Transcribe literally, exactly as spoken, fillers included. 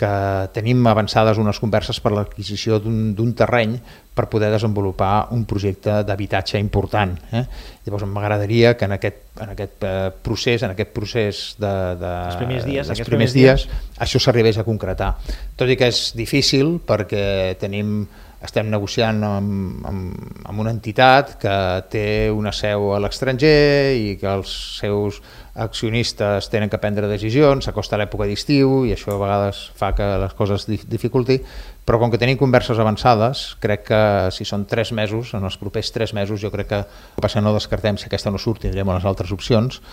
que tenim avançades unes converses per l'adquisició d'un terreny per poder desenvolupar un projecte d'habitatge important. Eh? Llavors m'agradaria que en aquest, en aquest procés, en aquest procés de, de, els primers dies, dels primers dies, dies això s'arribés a concretar. Tot i que és difícil perquè tenim, estem negociant amb, amb, amb una entitat que té una seu a l'estranger i que els seus accionistes tenen que prendre decisions, s'acosta l'època d'estiu i això a vegades fa que les coses dificulti, però com que tenim converses avançades, crec que si són tres mesos, en els propers tres mesos, jo crec que passa no descartem, si aquesta no surt tindrem les altres opcions,